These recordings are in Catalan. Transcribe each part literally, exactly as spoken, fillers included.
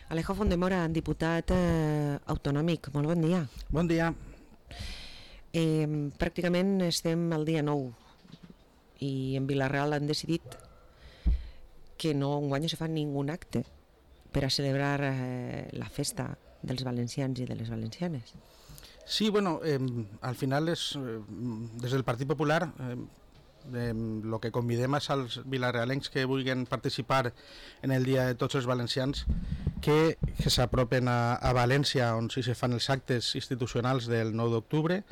Alejo Fondemora, diputat eh, autonòmic, molt bon dia. Bon dia. Eh, pràcticament estem al dia nou i en Vila-real han decidit que no enguany no se fa ningú acte per a celebrar eh, la festa dels valencians i de les valencianes. Sí, bueno, eh, al final és, eh, des del Partit Popular, eh, eh, lo que convidem és als vilarealencs que vulguin participar en el Dia de Tots els Valencians que, que s'apropen a, a València, on sí se fan els actes institucionals del nou d'octubre,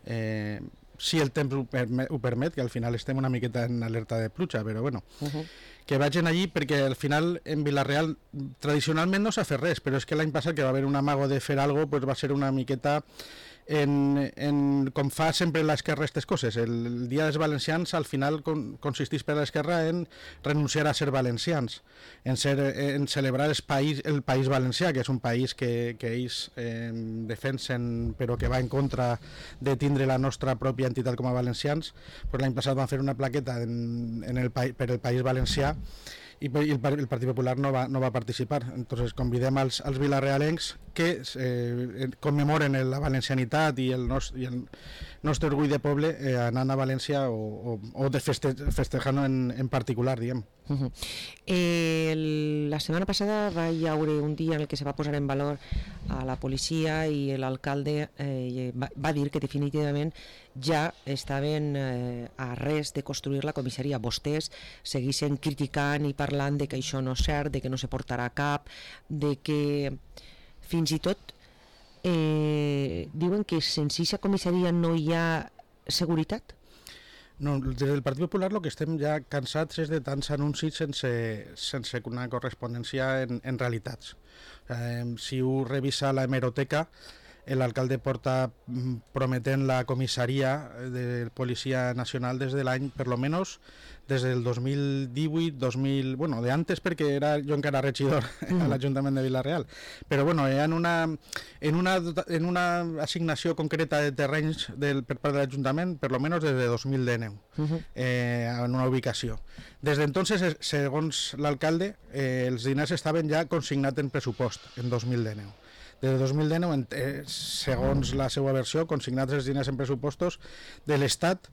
eh, si el temps ho permet, ho permet, que al final estem una miqueta en alerta de pluja, però bueno, uh-huh. que vagin allí, perquè al final en Vila-real tradicionalment no s'ha fet res, però és que l'any passat que va haver un amago de fer alguna cosa, pues va ser una miqueta en, en com fa sempre l'esquerra aquestes coses. El Dia dels Valencians al final con, consisteix per l'esquerra en renunciar a ser valencians, en, ser, en celebrar el país, el país valencià, que és un país que, que ells eh, defensen però que va en contra de tindre la nostra pròpia entitat com a valencians. Pues l'any passat van fer una plaqueta en, en el, per el País Valencià i el, el Partit Popular no va, no va participar. Entonces convidem als, als vilarealencs que eh, commemoren la valencianitat i el, nos, i el nostre orgull de poble eh, anant a València o, o, o de feste, festejant en, en particular, diguem. Uh-huh. eh, el, la setmana passada va hi haure un dia en el que se va posar en valor a la policia i l'alcalde eh, va, va dir que definitivament ja estaven eh, a res de construir la comissaria. Vostès segueixen criticant i parlant de que això no és cert, de que no se portarà a cap, de que fins i tot eh, diuen que sense aquesta comissaria no hi ha seguretat. No, des del Partit Popular el que estem ja cansats és de tants anuncis sense, sense una correspondència en, en realitats. Eh, si ho revisa la hemeroteca, l'alcalde porta prometent la comissaria de Policia Nacional des de l'any, per lo menos, des del dos mil divuit, dos mil... Bueno, de antes perquè era, jo encara regidor mm. a l'Ajuntament de Vila-real, però bueno, en una, en una, en una assignació concreta de terrenys del, per part de l'Ajuntament, per lo menos des de dos mil dinou, mm-hmm. eh, en una ubicació. Des d'entonces, segons l'alcalde, eh, els diners estaven ja consignats en pressupost, en dos mil dinou. Des de dos mil dinou, eh, segons la seva versió, consignats els diners en pressupostos de l'Estat,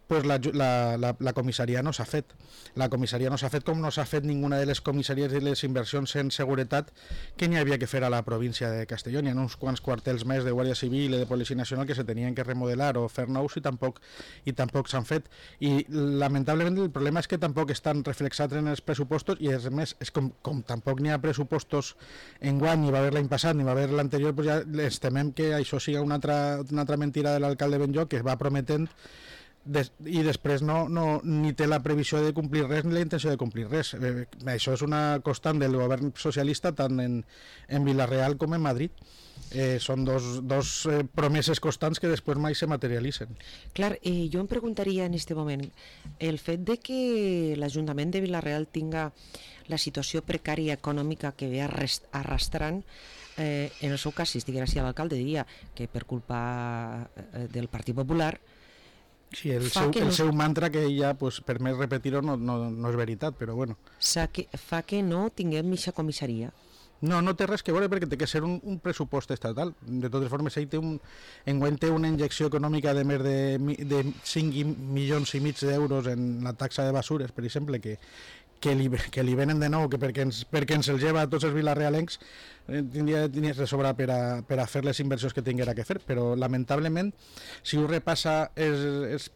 pues la, la, la, la comissaria no s'ha fet. La comissaria no s'ha fet com no s'ha fet ninguna de les comissaries de les inversions en seguretat que n'hi havia que fer a la província de Castelló. N'hi ha uns quants quartels més de Guàrdia Civil i de Policia Nacional que se tenien que remodelar o fer nous i tampoc, i tampoc s'han fet. I lamentablement el problema és que tampoc estan reflexats en els pressupostos i a més, és com, com tampoc n'hi ha pressupostos enguany, ni va haver l'any passat ni va haver l'anterior, pues ja ens temem que això siga una altra, una altra mentira de l'alcalde Benlloc que va prometent Des, i després no, no, ni té la previsió de complir res ni la intenció de complir res. Eh, això és una constant del govern socialista tant en, en Vila-real com en Madrid. Eh, són dos, dos eh, promeses constants que després mai se materialitzen. Clar, eh, jo em preguntaria en aquest moment el fet de que l'Ajuntament de Vila-real tinga la situació precària econòmica que ve arrastrant, eh, en el seu cas, si estigués així l'alcalde diria que per culpa eh, del Partit Popular. Sí, el, seu, el no... seu mantra que ja, pues, per més repetir-ho, no, no, no és veritat, però bueno. Que, fa que no tinguem aquesta comissaria. No, no té res que veure perquè té que ser un, un pressupost estatal. De totes formes, ell té un, enguany té una injecció econòmica de més de, de cinc milions i mig d'euros en la taxa de basures, per exemple, que, que, li, que li venen de nou, que perquè ens, perquè ens el lleva a tots els vilarealencs, eh, tindria diners de sobra per a, per a fer les inversions que tinguera que fer, però lamentablement, si ho repassa els, els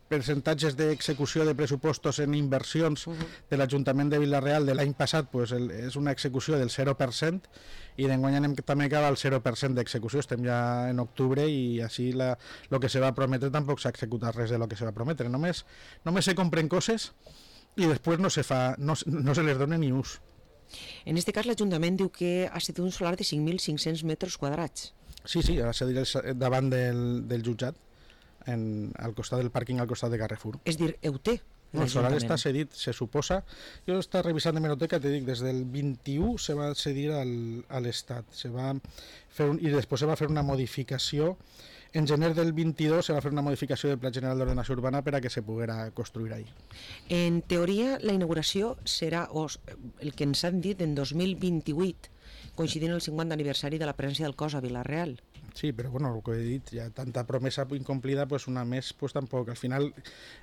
percentatges d'execució de pressupostos en inversions uh-huh. de l'Ajuntament de Vila-real de l'any passat, pues, el, és una execució del zero per cent i d'enguany anem també acaba el zero per cent d'execució. Estem ja en octubre i així la, lo que se va prometre tampoc s'ha executat res de lo que se va prometre. Només, només se compren coses i després no se, fa, no, no se les dona ni ús. En aquest cas l'Ajuntament diu que ha estat un solar de cinc mil cinc-cents metres quadrats. Sí, sí, va ser davant del, del jutjat, en, al costat del pàrquing, al costat de Carrefour. És dir, ho té. No, el solar està cedit, se suposa. Jo està revisant d'hemeroteca, te dic, des del vint-i-u se va cedir al, a l'Estat. Se va fer un, i després se va fer una modificació. En gener del vint-i-dos se va fer una modificació del Pla General d'Ordenació Urbana per a que se poguera construir ahí. En teoria, la inauguració serà, o el que ens han dit, en dos mil vint-i-vuit, coincidint el cinquanta aniversari de la presència del cos a Vila-real. Sí, però bueno, el que he dit, ja tanta promesa incomplida, pues una més, pues tampoc. Al final,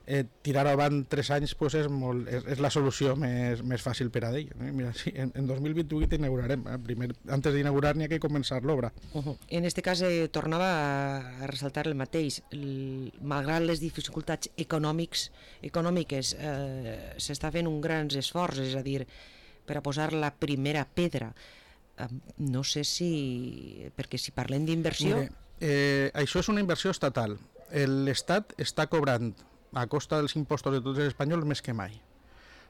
eh, tirar avant tres anys pues és, molt, és, és la solució més, més fàcil per a ell. Eh? Mira, sí, en, en dos mil vint-i-vuit inaugurarem. Eh? Primer, antes d'inaugurar n'hi ha que començar l'obra. Uh -huh. En este cas eh, tornava a, a ressaltar el mateix. El, malgrat les dificultats econòmics, econòmiques, eh, s'està fent un gran esforç, és a dir, per a posar la primera pedra. No sé si... perquè si parlem d'inversió... Eh, això és una inversió estatal. L'Estat està cobrant a costa dels impostos de tots els espanyols més que mai.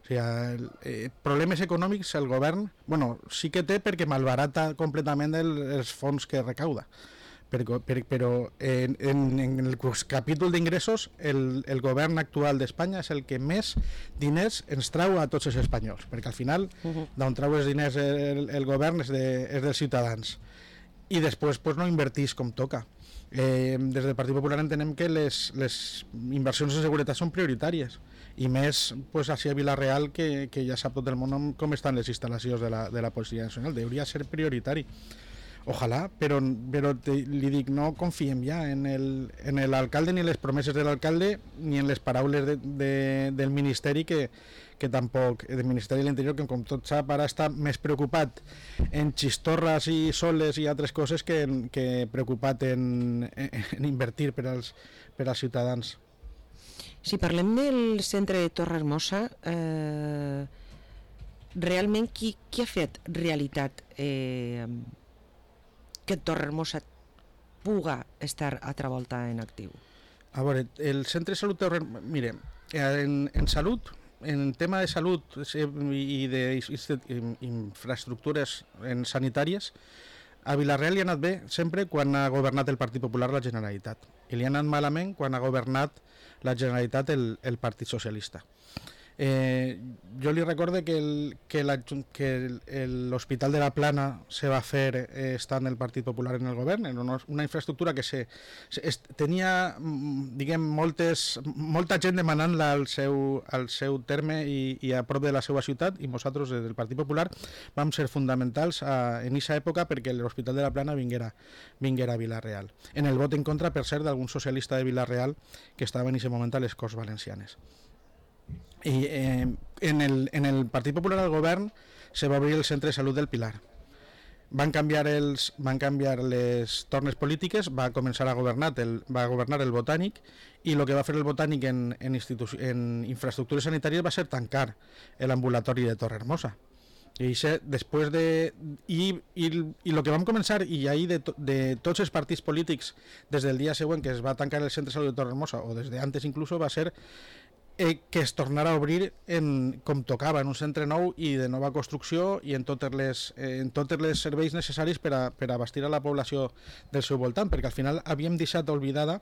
O sigui, el, eh, problemes econòmics el govern, bueno, sí que té perquè malbarata completament el, els fons que recauda. Però, però en, en, en el capítol d'ingressos el, el govern actual d'Espanya és el que més diners ens trau a tots els espanyols, perquè al final uh -huh. d'on trau els diners el, el govern és, de, és dels ciutadans i després pues, no invertís com toca. Eh, des del Partit Popular entenem que les, les inversions en seguretat són prioritàries i més pues, així a Vila-real que, que ja sap tot el món com estan les instal·lacions de la, de la Policia Nacional, hauria de ser prioritari. Ojalà, però, però te, li dic, no confiem ja en el, en l'alcalde ni en les promeses de l'alcalde ni en les paraules de, de, del Ministeri que, que tampoc, del Ministeri de l'Interior, que com tot sap ara està més preocupat en xistorres i soles i altres coses que, en, que preocupat en, en, en invertir per als, per als ciutadans. Si parlem del centre de Torrehermosa, eh, realment qui, qui ha fet realitat eh, que Torrehermosa puga estar altra volta en actiu? A veure, el centre de salut Torrehermosa, mire, en, en salut, en tema de salut i d'infraestructures sanitàries, a Vila-real li ha anat bé sempre quan ha governat el Partit Popular la Generalitat i li ha anat malament quan ha governat la Generalitat el, el Partit Socialista. Eh, jo li recorde que el, que la, que l'Hospital de la Plana se va fer eh, estant el Partit Popular en el govern, en una, una infraestructura que se, se es, tenia diguem, moltes, molta gent demanant-la al seu, al seu terme i, i a prop de la seva ciutat, i nosaltres des del Partit Popular vam ser fonamentals a, en aquesta època perquè l'Hospital de la Plana vinguera, vinguera a Vila-real. En el vot en contra, per cert, d'algun socialista de Vila-real que estava en aquest moment a les Corts Valencianes. I eh, en, el, en el Partit Popular al govern se va obrir el centre de salut del Pilar. Van canviar, els, van canviar les tornes polítiques, va començar a governar el, va governar el Botànic i el que va fer el Botànic en, en, en infraestructures sanitàries va ser tancar l'ambulatori de Torrehermosa. I això, després de... I, i, i el que vam començar, i ahir de, to, de tots els partits polítics des del dia següent que es va tancar el centre de salut de Torrehermosa, o des d'antes inclús, va ser Eh, que es tornarà a obrir en, com tocava, en un centre nou i de nova construcció i en totes les, eh, en totes les serveis necessaris per a, per a abastir a la població del seu voltant, perquè al final havíem deixat oblidada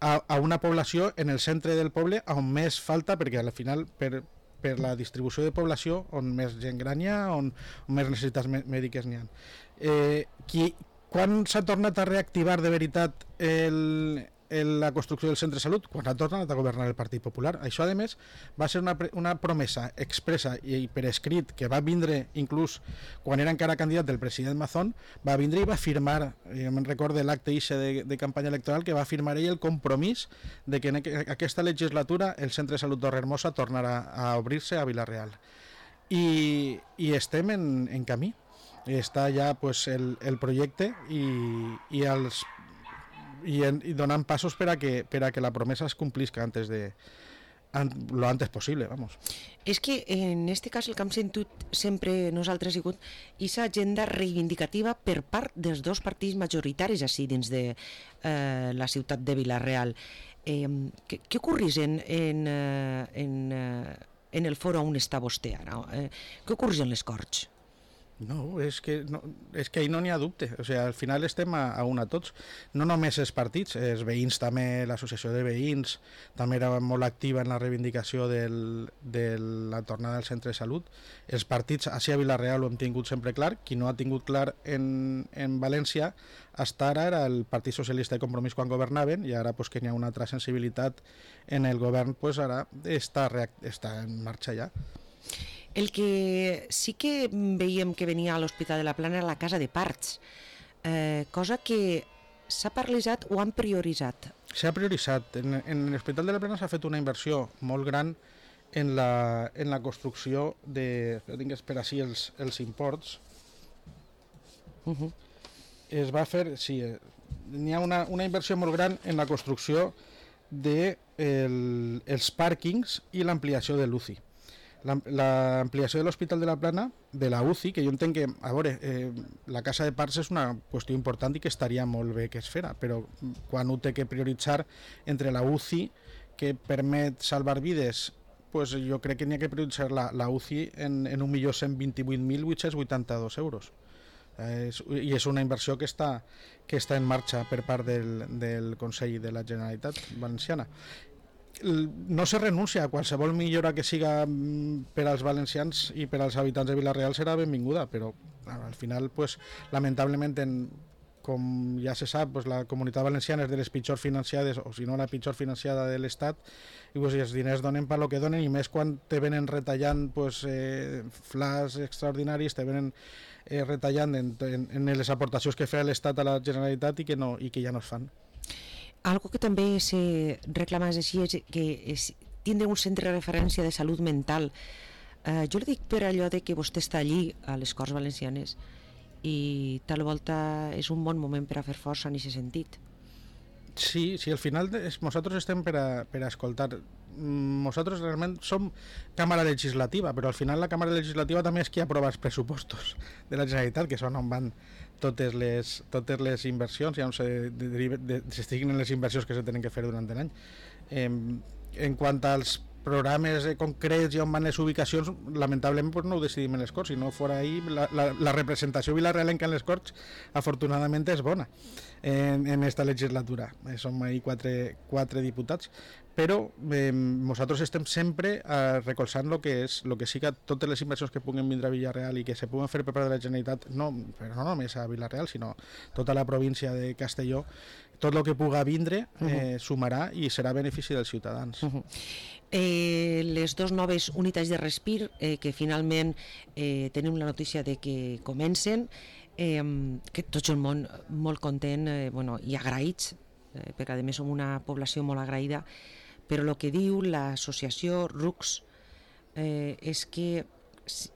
a, a una població en el centre del poble on més falta, perquè al final per, per la distribució de població on més gent gran hi ha, on, on més necessitats mèdiques n'hi ha. Eh, qui, quan s'ha tornat a reactivar de veritat el... la construcció del centre de salut quan ha tornat a governar el Partit Popular. Això, a més, va ser una, una promesa expressa i per escrit que va vindre inclús quan era encara candidat del president Mazón, va vindre i va firmar, jo me'n recordo l'acte de, de campanya electoral, que va firmar ell el compromís de que en aquesta legislatura el centre de salut Torrehermosa tornarà a obrir-se a Vila-real. I, i estem en, en camí. Està ja pues, el, el projecte i, i els I, en, i donant passos per a, que, per a que la promesa es complisca antes de an, lo antes possible, vamos. És que en este cas el que hem sentit sempre nosaltres ha sigut aquesta agenda reivindicativa per part dels dos partits majoritaris així dins de eh, la ciutat de Vila-real. Eh, què, què ocorrís en, en, en, en el foro on està vostè ara? Eh, què ocorrís en les Corts? No, és que, no, és que ahí no n'hi ha dubte. O sigui, al final estem a, a una tots. No només els partits, els veïns també, l'associació de veïns també era molt activa en la reivindicació del, de la tornada al centre de salut. Els partits, així a Vila-real ho hem tingut sempre clar. Qui no ha tingut clar en, en València hasta ara era el Partit Socialista de Compromís quan governaven, i ara pues, que n'hi ha una altra sensibilitat en el govern, pues, ara està, està en marxa ja. El que sí que veiem que venia a l'Hospital de la Plana era la casa de parts, eh, cosa que s'ha paralitzat o han prioritzat? S'ha prioritzat. En, en l'Hospital de la Plana s'ha fet una inversió molt gran en la, en la construcció de... Tinc per així els, els imports. Uh -huh. Es va fer... Sí, n'hi ha una, una inversió molt gran en la construcció dels de el, els pàrquings i l'ampliació de l'U C I. L'ampliació de l'Hospital de la Plana, de la U C I, que jo entenc que, a veure, eh, la casa de parts és una qüestió important i que estaria molt bé que es fera, però quan ho té que prioritzar entre la U C I, que permet salvar vides, pues jo crec que n'hi ha que prioritzar la, la U C I en, en un milió cent vint-i-vuit mil vuit-cents vuitanta-dos euros. Eh, és, I és una inversió que està, que està en marxa per part del, del Consell de la Generalitat Valenciana. No se renuncia a qualsevol millora que siga per als valencians i per als habitants de Vila-real serà benvinguda, però al final, pues, lamentablement, en, com ja se sap, pues, la Comunitat Valenciana és de les pitjors financiades, o si no la pitjor financiada de l'Estat, i pues, els diners donen per lo que donen, i més quan te venen retallant pues, eh, flash extraordinaris, te venen eh, retallant en, en, en les aportacions que fa l'Estat a la Generalitat i que, no, i que ja no es fan. Algo que també se reclama així és que és tindre un centre de referència de salut mental. Eh, jo li dic per allò de que vostè està allí a les Corts Valencianes i tal volta és un bon moment per a fer força en aquest sentit. Sí, sí, al final es, nosaltres estem per a, per a escoltar. Nosaltres realment som càmera legislativa, però al final la càmera legislativa també és qui aprova els pressupostos de la Generalitat, que són on van totes les, totes les inversions i on s'estiguen les inversions que se tenen que fer durant l'any. Eh, en quant als programes concrets i on van les ubicacions, lamentablement pues, no ho decidim en les Corts, si no fora ahir la, la, la representació vilarealenca en les Corts afortunadament és bona en, en esta legislatura. Eh, som ahir quatre, quatre diputats, però eh, nosaltres estem sempre eh, recolzant lo que és, lo que siga totes les inversions que puguen vindre a Vila-real i que se puguen fer per part de la Generalitat, no, però no només a Vila-real, sinó tota la província de Castelló. Tot el que puga vindre eh, sumarà i serà benefici dels ciutadans. Uh -huh. eh, les dues noves unitats de respir eh, que finalment eh, tenim la notícia de que comencen, eh, que tots el món molt content eh, bueno, i agraïts, eh, perquè a més som una població molt agraïda, però el que diu l'associació R U C S eh, és que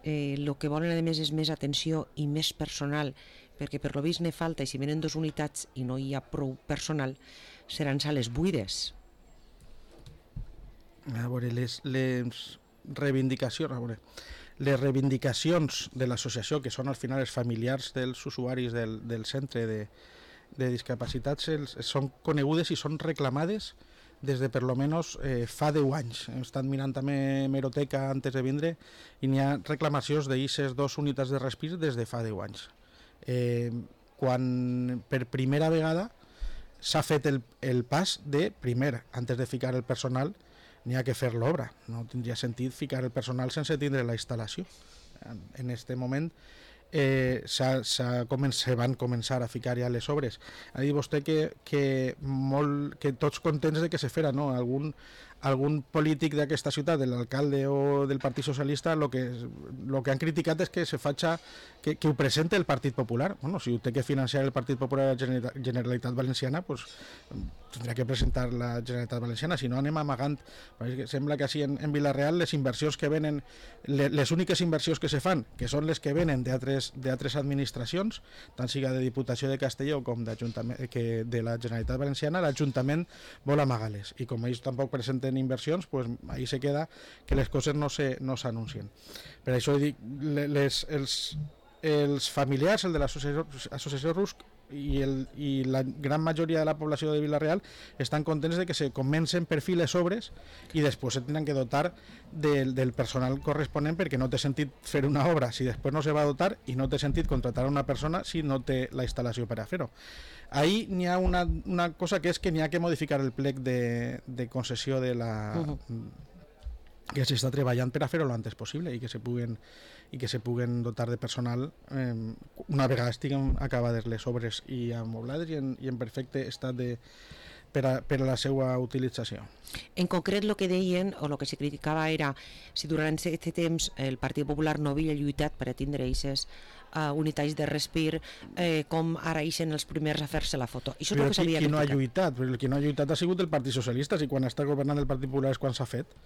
eh, el que volen a més és més atenció i més personal, perquè per lo vist ne falta, i si venen dues unitats i no hi ha prou personal, seran sales buides. A veure, les, les reivindicacions, a veure, les reivindicacions de l'associació, que són al final els familiars dels usuaris del, del centre de, de discapacitats, els, són conegudes i són reclamades des de per lo menos eh, fa deu anys. Hem estat mirant també hemeroteca antes de vindre i n'hi ha reclamacions d'eixes dos unitats de respir des de fa deu anys. Eh, quan per primera vegada s'ha fet el, el pas de, primer, antes de ficar el personal, n'hi ha que fer l'obra. No tindria sentit ficar el personal sense tindre la instal·lació. En aquest moment eh, s'ha, s'ha comen- se van començar a ficar ja les obres. Ha dit vostè que, que, molt, que tots contents de que se fera, no? Algun, algun polític d'aquesta ciutat, de l'alcalde o del Partit Socialista, el que, lo que han criticat és que se faça, que, que ho presente el Partit Popular. Bueno, si ho té que financiar el Partit Popular a la Generalitat Valenciana, pues, tindrà que presentar la Generalitat Valenciana, si no anem amagant. Sembla que així en, en Vila-real les inversions que venen, les, les úniques inversions que se fan, que són les que venen d'altres d'altres administracions, tant siga de Diputació de Castelló com que de la Generalitat Valenciana, l'Ajuntament vol amagar-les, i com ells tampoc presenten inversions, pues ahí se queda que les coses no se no s'anuncien. Per això dic, les, els, els familiars, el de l'associació R U C S i, el, i la gran majoria de la població de Vila-real estan contents de que se comencen per fi les obres i després se tenen que dotar del, del personal corresponent, perquè no té sentit fer una obra si després no se va dotar, i no té sentit contratar a una persona si no té la instal·lació per a fer-ho. Ahí n'hi ha una, una cosa, que és que n'hi ha que modificar el plec de, de concessió de la... Uh-huh. que s'està treballant per a fer-ho l'antes possible i que se puguen i que se puguen dotar de personal eh, una vegada estiguen acabades les obres i amoblades i en, i en perfecte estat de, per a, per a la seva utilització. En concret, el que deien, o el que se criticava era si durant aquest temps el Partit Popular no havia lluitat per a tindre aquestes uh, unitats de respir, eh, com ara ixen els primers a fer-se la foto. Això és però el que s'havia qui, qui no ha criticat. lluitat? Però el qui no ha lluitat ha sigut el Partit Socialista, i quan està governant el Partit Popular és quan s'ha fet.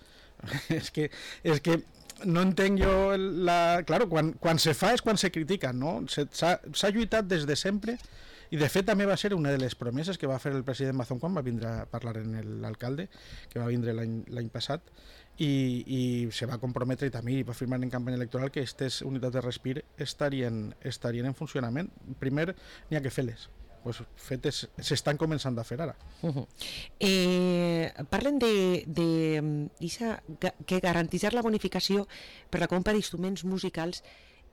és, que, és que no entenc jo la... Claro, quan, quan se fa és quan se critica, no? S'ha lluitat des de sempre, i de fet també va ser una de les promeses que va fer el president Mazón quan va vindre a parlar en l'alcalde, que va vindre l'any passat, i, i se va comprometre i també va firmar en campanya electoral que aquestes unitats de respir estarien, estarien en funcionament. Primer n'hi ha que fer-les. Pues fetes s'estan començant a fer ara. Uh -huh. eh, parlen de, de isa, que garantitzar la bonificació per la compra d'instruments musicals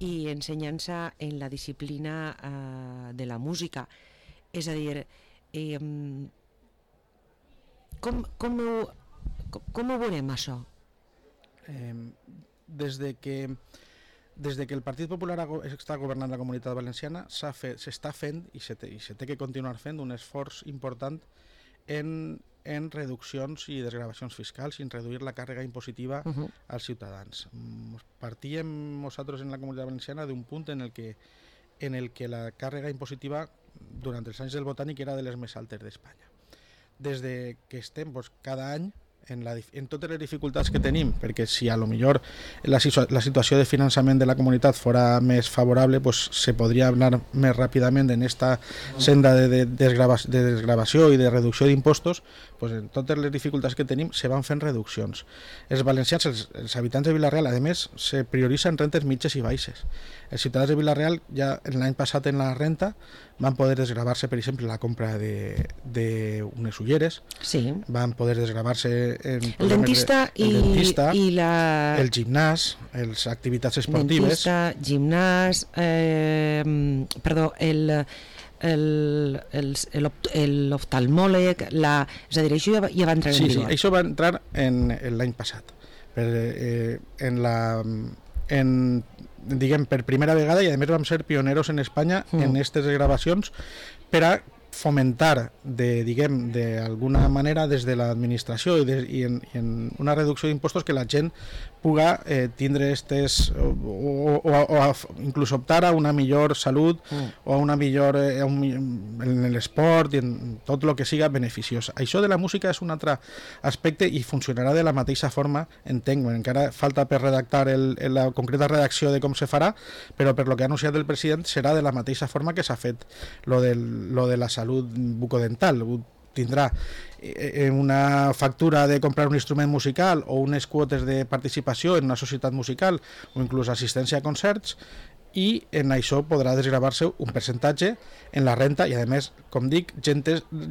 i ensenyança en la disciplina eh, de la música. És a dir, eh, com, com, ho, com ho veurem això? Eh, des de que Des de que el Partit Popular està governant la Comunitat Valenciana s'està fent, i se, té, i se té que continuar fent, un esforç important en, en reduccions i desgravacions fiscals i en reduir la càrrega impositiva uh -huh. als ciutadans. Partíem nosaltres en la Comunitat Valenciana d'un punt en el que, en el que la càrrega impositiva durant els anys del Botànic era de les més altes d'Espanya. Des de que estem doncs, cada any En, la, en totes les dificultats que tenim, perquè si a lo millor la, la situació de finançament de la comunitat fora més favorable, pues se podria anar més ràpidament en esta senda de, de, desgrava, de desgravació i de reducció d'impostos, pues en totes les dificultats que tenim se van fent reduccions. Els valencians, els, els habitants de Vila-real, a més, se prioritzen rentes mitges i baixes. Els ciutadans de Vila-real ja l'any passat en la renta van poder desgravar-se, per exemple, la compra d'unes ulleres, sí. van poder desgravar-se en el dentista, de, el, i, dentista i la... el gimnàs, les activitats esportives. Dentista, gimnàs, eh, perdó, el... l'oftalmòleg, la... és a dir, això ja va, ja va entrar sí, en vigor. Sí, això va entrar en, en l'any passat. Per, eh, en la... En, diguem, per primera vegada, i a més vam ser pioneros en Espanya mm. en aquestes gravacions per a fomentar de, diguem, d'alguna manera des de l'administració i, de, i, en, i en una reducció d'impostos que la gent puga eh, tindre estes o, o, o, o a, inclús optar a una millor salut mm. o a una millor eh, un, en l'esport i en tot el que siga beneficiós. Això de la música és un altre aspecte i funcionarà de la mateixa forma, entenc, encara falta per redactar el, la concreta redacció de com se farà, però per lo que ha anunciat el president serà de la mateixa forma que s'ha fet lo, del, lo de la salut bucodental. Tindrà una factura de comprar un instrument musical o unes quotes de participació en una societat musical o inclús assistència a concerts, i en això podrà desgravar-se un percentatge en la renta i a més, com dic, gent,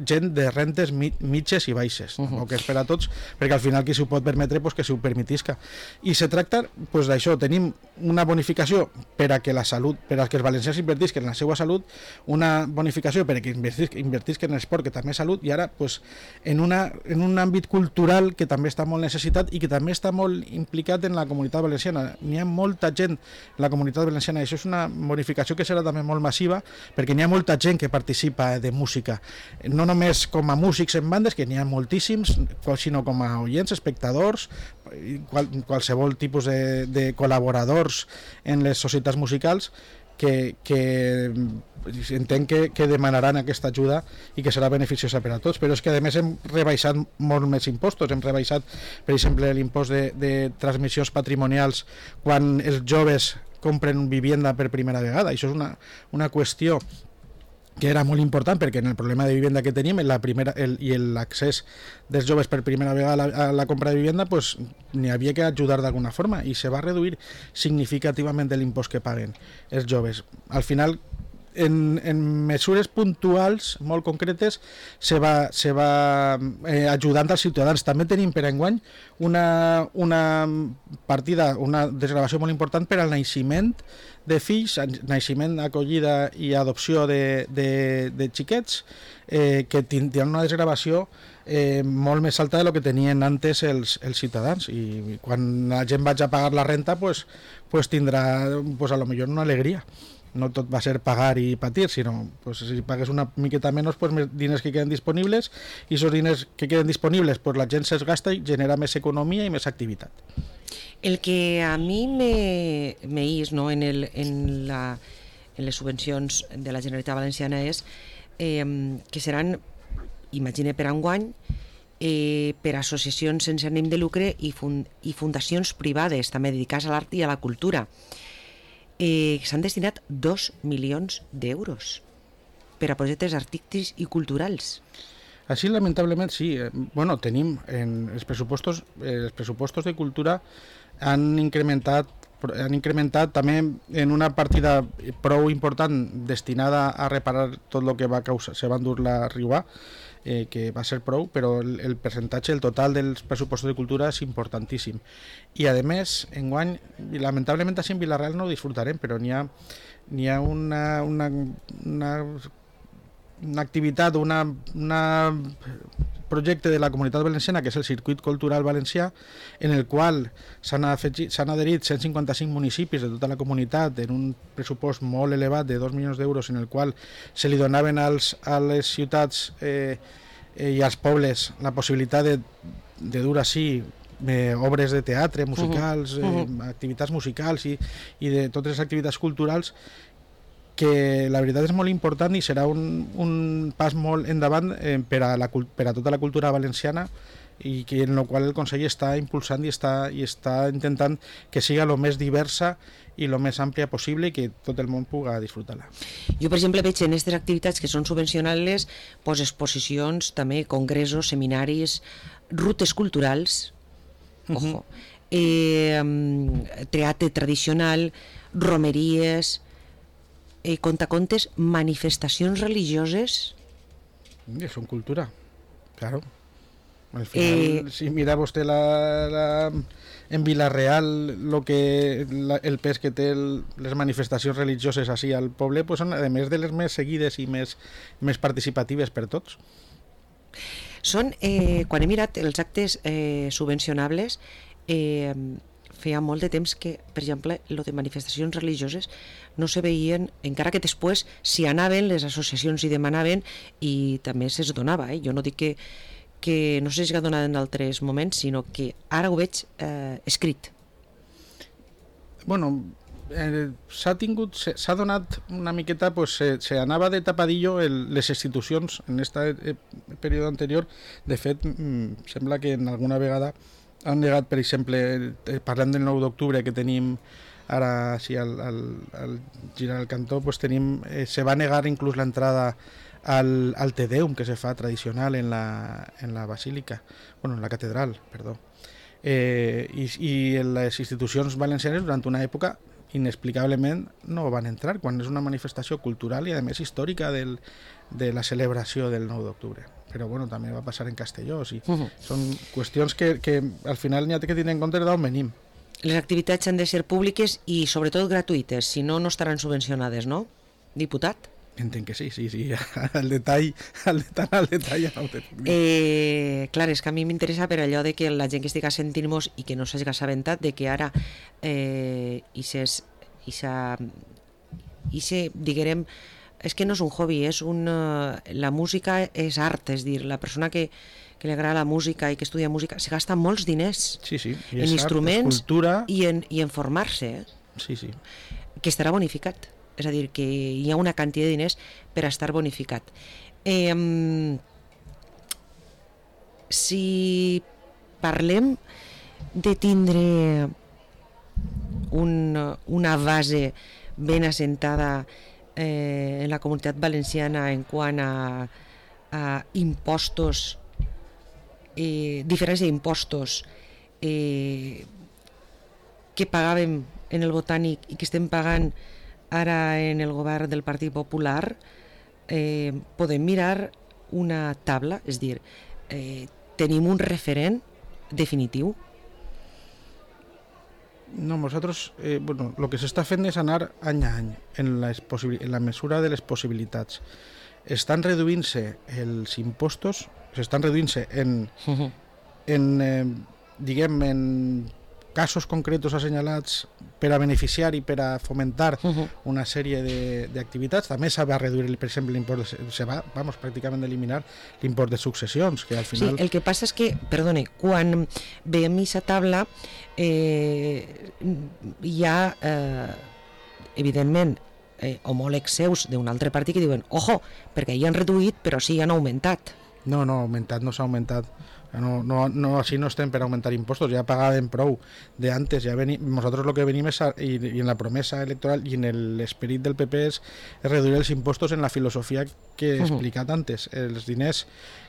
gent de rentes mitges i baixes, uh -huh. o que és per a tots, perquè al final qui s'ho pot permetre pues, que s'ho permetisca. I se tracta pues, d'això, tenim una bonificació per a que la salut, per a que els valencians invertisquen en la seva salut, una bonificació per a que invertisquen en l'esport, que també és salut, i ara pues, en, una, en un àmbit cultural que també està molt necessitat i que també està molt implicat en la comunitat valenciana. N'hi ha molta gent en la comunitat valenciana. Això és una bonificació que serà també molt massiva, perquè n'hi ha molta gent que participa de música, no només com a músics en bandes, que n'hi ha moltíssims, sinó com a oients, espectadors, qual, qualsevol tipus de, de col·laboradors en les societats musicals que, que entenc que, que demanaran aquesta ajuda i que serà beneficiosa per a tots. Però és que a més hem rebaixat molt més impostos, hem rebaixat per exemple l'impost de, de transmissions patrimonials quan els joves compren vivienda per primera vegada. Això és una, una qüestió que era molt important, perquè en el problema de vivienda que tenim la primera, el, i l'accés dels joves per primera vegada a la, a la compra de vivienda, pues, n'hi havia que ajudar d'alguna forma, i se va reduir significativament l'impost que paguen els joves. Al final, en, en mesures puntuals molt concretes se va, se va eh, ajudant als ciutadans. També tenim per enguany una, una partida, una desgravació molt important per al naixement de fills, naixement, acollida i adopció de, de, de xiquets, eh, que tindran una desgravació eh, molt més alta de lo que tenien antes els, els ciutadans, i quan la gent vagi a pagar la renta pues, pues tindrà pues, a lo millor una alegria. no tot va a ser pagar i patir, sinó pues, si pagues una miqueta menys, pues, més diners que queden disponibles, i aquests diners que queden disponibles pues, la gent se'ls gasta i genera més economia i més activitat. El que a mi me, me is, no, en, el, en, la, en les subvencions de la Generalitat Valenciana és eh, que seran, imagine per enguany, eh, per associacions sense ànim de lucre i, fund, i fundacions privades també dedicades a l'art i a la cultura. Eh, s'han destinat dos milions d'euros per a projectes artístics i culturals. Així, lamentablement, sí. Bueno, tenim en els pressupostos, eh, els pressupostos de cultura han incrementat, han incrementat també en una partida prou important destinada a reparar tot el que va causar, se va endur la Riuà, eh, que va ser prou, però el, el percentatge, el total dels pressupostos de cultura és importantíssim. I a més, enguany, lamentablement així en Vila-real no ho disfrutarem, però n'hi ha, n'hi ha una, una, una, una activitat, una, una projecte de la Comunitat Valenciana, que és el Circuit Cultural Valencià, en el qual s'han adherit cent cinquanta-cinc municipis de tota la comunitat en un pressupost molt elevat de dos milions d'euros, en el qual se li donaven als, a les ciutats eh, eh, i als pobles la possibilitat de, de dur així eh, obres de teatre, musicals, uh -huh. eh, activitats musicals i, i de totes les activitats culturals, que la veritat és molt important i serà un, un pas molt endavant eh, per, a la, per a tota la cultura valenciana, i que en el qual el Consell està impulsant i està, i està intentant que siga el més diversa i el més àmplia possible i que tot el món puga disfrutar-la. Jo, per exemple, veig en aquestes activitats que són subvencionables pues, exposicions, també congressos, seminaris, rutes culturals, uh -huh. ojo, eh, teatre tradicional, romeries, eh, contacontes, manifestacions religioses. Són cultura, claro. Al final, eh, si mira vostè la, la, en Vila-real lo que, la, el pes que té el, les manifestacions religioses així al poble, pues són a més de les més seguides i més, més participatives per tots. Són, eh, quan he mirat els actes eh, subvencionables, eh, feia molt de temps que, per exemple, lo de manifestacions religioses no se veien, encara que després s'hi anaven, les associacions hi demanaven i també se's donava. Eh? Jo no dic que, que no s'hagi donat en altres moments, sinó que ara ho veig eh, escrit. Bueno, eh, s'ha tingut, s'ha donat una miqueta, pues, se, se anava de tapadillo el, les institucions en aquest període anterior. De fet, mm, sembla que en alguna vegada han negat, per exemple, parlant del nou d'octubre que tenim ara sí, al, al, al girar el cantó, pues tenim, eh, se va negar inclús l'entrada al, al Te Deum que se fa tradicional en la, en la basílica, bueno, en la catedral, perdó. Eh, i, i en les institucions valencianes durant una època inexplicablement no van entrar, quan és una manifestació cultural i a més històrica del, de la celebració del nou d'octubre. Però bueno, també va passar en Castelló, sí. Uh -huh. Són qüestions que, que al final n'hi ha que tenir en compte d'on venim. Les activitats han de ser públiques i sobretot gratuïtes, si no, no estaran subvencionades, no, diputat? Entenc que sí, sí, sí, al detall, al detall, al detall. Eh, clar, és que a mi m'interessa per allò de que la gent que estigui sentint-nos i que no s'hagi assabentat de que ara eh, i ses, i sa, i se, diguem, és que no és un hobby, és un, la música és art, és dir, la persona que, que li agrada la música i que estudia música se gasta molts diners sí, sí. I en instruments art, cultura... i, en, i en formar-se, eh? Sí, sí. Que estarà bonificat. És a dir, que hi ha una quantitat de diners per a estar bonificat. Eh, si parlem de tindre un, una base ben assentada eh, en la Comunitat Valenciana en quant a, a impostos, eh, diferència d'impostos eh, que pagàvem en el Botànic i que estem pagant ara en el govern del Partit Popular, eh, podem mirar una tabla, és dir, eh, tenim un referent definitiu? No, nosaltres, eh, bueno, el que s'està fent és anar any a any en, les en la mesura de les possibilitats. Estan reduint-se els impostos, s'estan reduint-se en, uh -huh. en eh, diguem, en casos concretos assenyalats per a beneficiar i per a fomentar uh -huh. una sèrie d'activitats. També s'ha de reduir, per exemple, l'import de, se va, vamos, pràcticament eliminar l'import de successions, que al final... Sí, el que passa és que, perdone, quan veiem aquesta taula eh, hi ha, eh, evidentment, eh, homòlegs seus d'un altre partit que diuen, ojo, perquè hi han reduït però sí han augmentat. No, no, augmentat no s'ha augmentat. No, no, no, així no estem per augmentar impostos, ja pagàvem prou de antes, ja venim, nosaltres lo que venim és a, i, i en la promesa electoral i en l'esperit del P P és, és reduir els impostos en la filosofia que he explicat antes. Els diners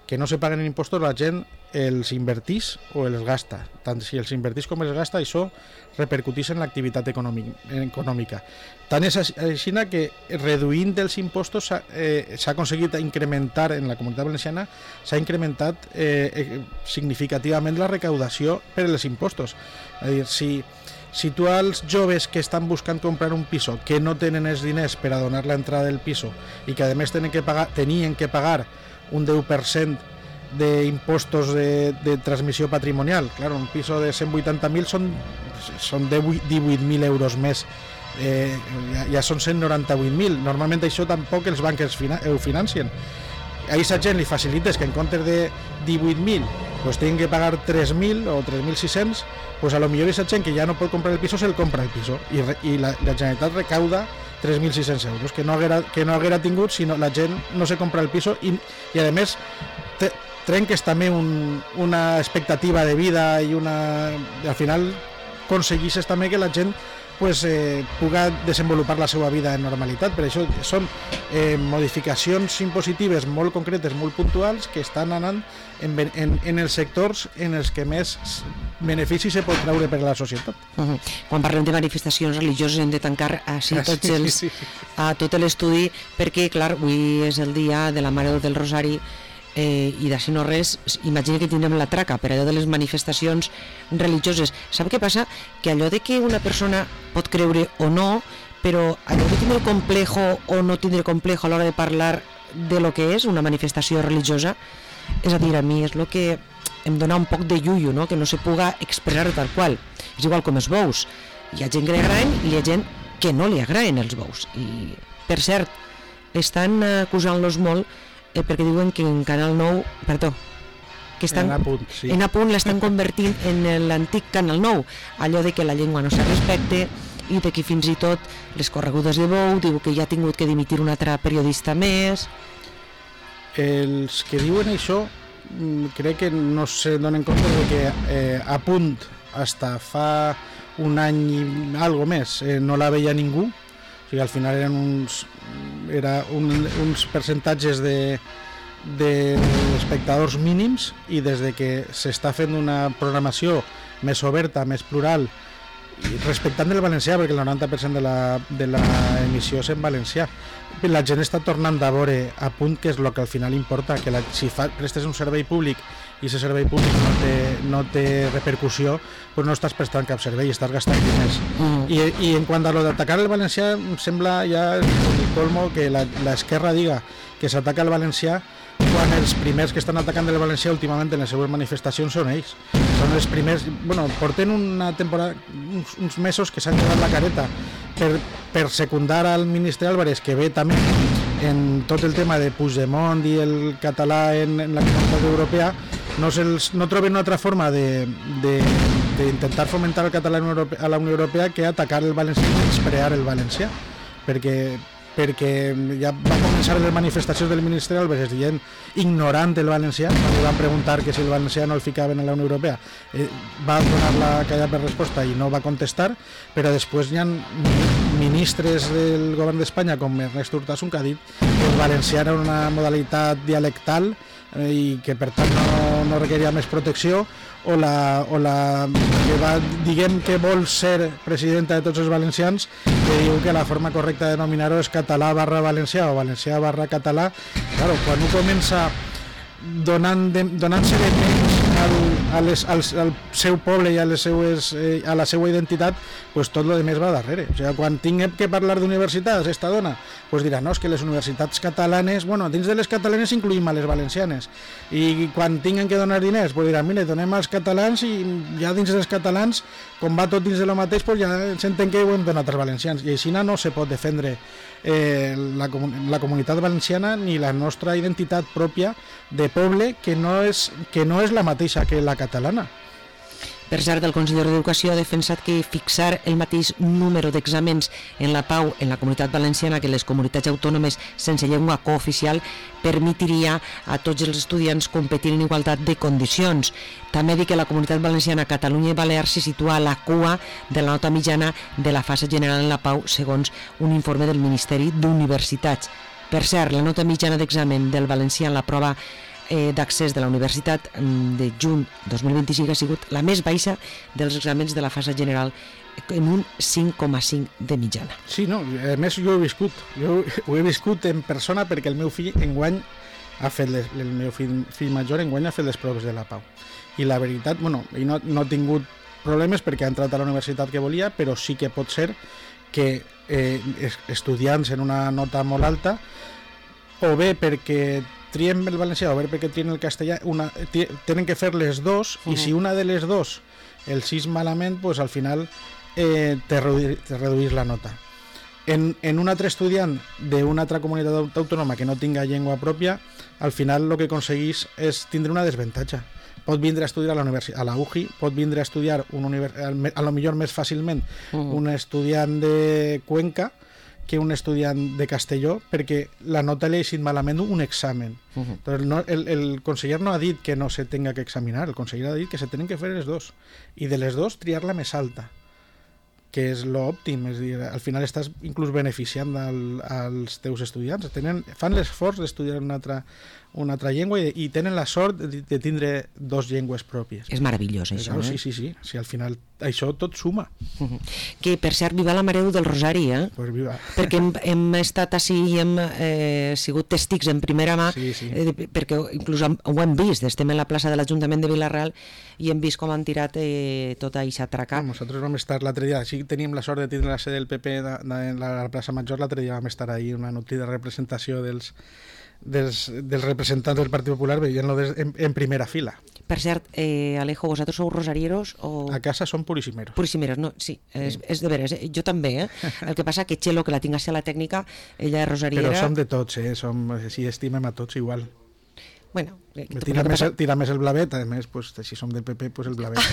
que no se paguen en impostos la gent els invertís o els gasta. Tant si els invertís com els gasta, això repercutís en l'activitat econòmica. Tant és així que reduint els impostos s'ha eh, aconseguit incrementar, en la Comunitat Valenciana s'ha incrementat eh, significativament la recaudació per als impostos. És a dir, si, si tu als joves que estan buscant comprar un piso, que no tenen els diners per a donar l'entrada del piso i que a més tenen que pagar, tenien que pagar un deu per cent d'impostos de, de transmissió patrimonial, clar, un piso de cent vuitanta mil són, són divuit mil euros més, eh, ja, ja són cent noranta-vuit mil. Normalment això tampoc els bancs ho financien. A aquesta gent li facilites que en comptes de divuit mil pues tenen que pagar tres mil o tres mil sis-cents, pues a lo millor aquesta gent que ja no pot comprar el piso se'l compra el piso i, i la, la Generalitat recauda tres mil sis-cents euros que no haguera, que no haguera tingut si no, la gent no se compra el piso i, i a més te, trenques també un, una expectativa de vida i una, al final aconseguisses també que la gent pues, eh, puga desenvolupar la seva vida en normalitat. Per això són eh, modificacions impositives molt concretes, molt puntuals, que estan anant en, en, en els sectors en els que més benefici se pot treure per a la societat. Uh -huh. Quan parlem de manifestacions religioses hem de tancar així ah, tots sí, els, sí, sí. a tot l'estudi, perquè, clar, avui és el dia de la Mare del Rosari, eh, i d'així no res, imagina que tindrem la traca per allò de les manifestacions religioses. Sap què passa? Que allò de que una persona pot creure o no, però allò de tindre complejo o no tindre complejo a l'hora de parlar de lo que és una manifestació religiosa, és a dir, a mi és el que em dona un poc de llullo, no? Que no se puga expressar tal qual. És igual com els bous, hi ha gent que li agraden i hi ha gent que no li agraden els bous. I, per cert, estan acusant-los molt eh, perquè diuen que en Canal nou, perdó, que estan, en Apunt, sí. en Apunt l'estan convertint en l'antic Canal nou, allò de que la llengua no se respecte i de que fins i tot les corregudes de bou diu que ja ha tingut que dimitir un altre periodista més. Els que diuen això crec que no se donen compte de que eh, Apunt hasta fa un any i algo més eh, no la veia ningú, o sigui, al final eren uns, era un, uns percentatges de d'espectadors mínims, i des de que s'està fent una programació més oberta, més plural, i respectant el valencià, perquè el noranta per cent de la, de la emissió és en valencià, la gent està tornant a veure a punt que és el que al final importa, que la, si fa, prestes un servei públic i aquest servei públic no té, no té repercussió, doncs no estàs prestant cap servei, estàs gastant diners. Mm. I, I en quant a lo d'atacar el valencià, em sembla ja el colmo que l'esquerra diga que s'ataca el valencià quan els primers que estan atacant el valencià últimament en les seves manifestacions són ells. Són els primers, bueno, porten una temporada, uns, uns mesos que s'han llevat la careta per, per secundar al ministre Álvarez, que ve també en tot el tema de Puigdemont i el català en, en la Comunitat Europea. No, no troben una altra forma d'intentar fomentar el català a la Unió Europea que atacar el valencià i menysprear el valencià, perquè perquè ja va començar les manifestacions del ministre Álvarez dient ignorant el valencià, quan li van preguntar que si el valencià no el ficaven en la Unió Europea, eh, va donar la callada per resposta i no va contestar, però després hi ha ministres del govern d'Espanya com Ernest Urtasun que ha dit que el valencià era una modalitat dialectal eh, i que per tant no, no requeria més protecció, o la, o la que va, diguem que vol ser presidenta de tots els valencians, que diu que la forma correcta de denominar-ho és català barra valencià o valencià barra català. Claro, quan un comença donant de, donant-se de menys al, a les, al, al seu poble i a, les seues, eh, a la seva identitat, pues tot lo demés va darrere. O sigui, quan tinguem que parlar d'universitats, esta dona, pues dirà, no, és que les universitats catalanes, bueno, dins de les catalanes incluïm a les valencianes, i quan tinguen que donar diners, pues dirà, mira, donem als catalans, i ja dins dels catalans, com va tot dins de lo mateix, pues ja s'entén que ho hem donat als valencians, i així no se pot defendre eh, la, la comunitat valenciana ni la nostra identitat pròpia de poble, que no és, que no és la mateixa que la catalana. Per cert, el conseller d'Educació ha defensat que fixar el mateix número d'exàmens en la Pau en la comunitat valenciana que les comunitats autònomes sense llengua cooficial permetiria a tots els estudiants competir en igualtat de condicions. També dir que la comunitat valenciana, Catalunya i Balears se situa a la cua de la nota mitjana de la fase general en la Pau, segons un informe del Ministeri d'Universitats. Per cert, la nota mitjana d'examen del valencià en la prova d'accés de la universitat de juny dos mil vint-i-cinc ha sigut la més baixa dels exàmens de la fase general, en un cinc coma cinc de mitjana. Sí, no, a més jo ho he viscut, jo ho he viscut en persona perquè el meu fill enguany ha fet, les, el meu fill, fill major enguany ha fet les proves de la Pau. I la veritat, bueno, i no, no ha tingut problemes perquè ha entrat a la universitat que volia, però sí que pot ser que eh, estudiants en una nota molt alta, o bé perquè triem el valencià o bé perquè trien el castellà, una, tenen que fer les dos, uh-huh. I si una de les dos el sis malament, pues al final eh, te, reduir, te reduís la nota. En, en un altre estudiant d'una altra comunitat autònoma que no tinga llengua pròpia, al final el que aconseguís és tindre una desavantatge. Pot vindre a estudiar a la, universi- a la U J I, pot vindre a estudiar un univers- a lo millor més fàcilment uh-huh. un estudiant de Cuenca que un estudiant de Castelló, perquè la nota li ha eixit malament un examen. Uh-huh. Entonces, no, el, el conseller no ha dit que no se tenga que examinar, el conseller ha dit que se tenen que fer les dos, i de les dos triar la més alta, que és l'òptim, és dir, al final estàs inclús beneficiant al, als teus estudiants, tenen, fan l'esforç d'estudiar una altra, una altra llengua i, i tenen la sort de, de tindre dos llengües pròpies. És meravellós, això, claro, eh? Sí, sí, sí, sí, al final això tot suma. Uh-huh. Que, per cert, viva la Mare del Rosari, eh? Pues viva. Perquè hem, hem estat així i hem eh, sigut testics en primera mà, sí, sí. Eh, perquè inclús ho hem vist, estem en la plaça de l'Ajuntament de Vila-real i hem vist com han tirat eh, tota aquesta traca. No, nosaltres vam estar l'altre dia, sí tenim la sort de tindre la sede del P P de, de, de la plaça Major, l'altre dia vam estar ahí, una nutrida representació dels Dels, dels representants del Partit Popular veient-lo en, en primera fila. Per cert, eh, Alejo, vosaltres sou rosarieros o...? A casa som purisimeros. Purisimeros, no, sí, és, és de veres, eh? Jo també, eh? El que passa que Txelo, que la tinc a ser la tècnica, ella és rosariera... Però som de tots, eh? Som, sí, estimem a tots igual. Bueno, eh, tira, més, passa... tira més el blavet, a més, pues, si som del P P, pues el blavet.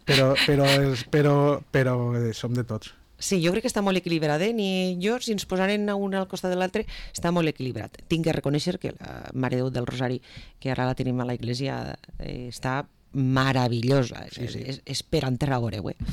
però, però, però, però eh, som de tots. Sí, jo crec que està molt equilibrat, eh? Ni jo, si ens posaren un al costat de l'altre, està molt equilibrat. Tinc que reconèixer que la Mare Déu del Rosari, que ara la tenim a la iglesia, eh, està meravellosa, sí, sí. És, és per enterrar a veure, eh?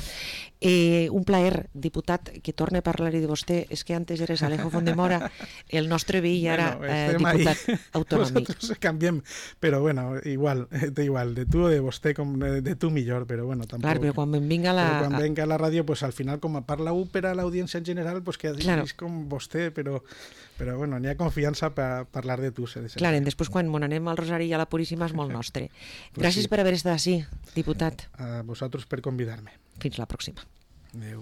Eh, un plaer, diputat, que torne a parlar-hi de vostè. És que antes eres Alejo Fondemora, el nostre veí, i ara bueno, eh, diputat ahí. Autonòmic. Nosaltres canviem, però bueno, igual, de igual, de tu o de vostè, com de, de tu millor, però bueno, tampoc. Clar, però quan vinga la... Però quan venga a la ràdio, pues al final, com a parla u per a l'audiència en general, pues que claro. És com vostè, però, però bueno, n'hi ha confiança per parlar de tu. Clar, i després quan mon anem al Rosari i a la Puríssima és molt nostre. Pues gràcies sí. Per haver estat així, diputat. A vosaltres per convidar-me. Fins la pròxima. Adéu.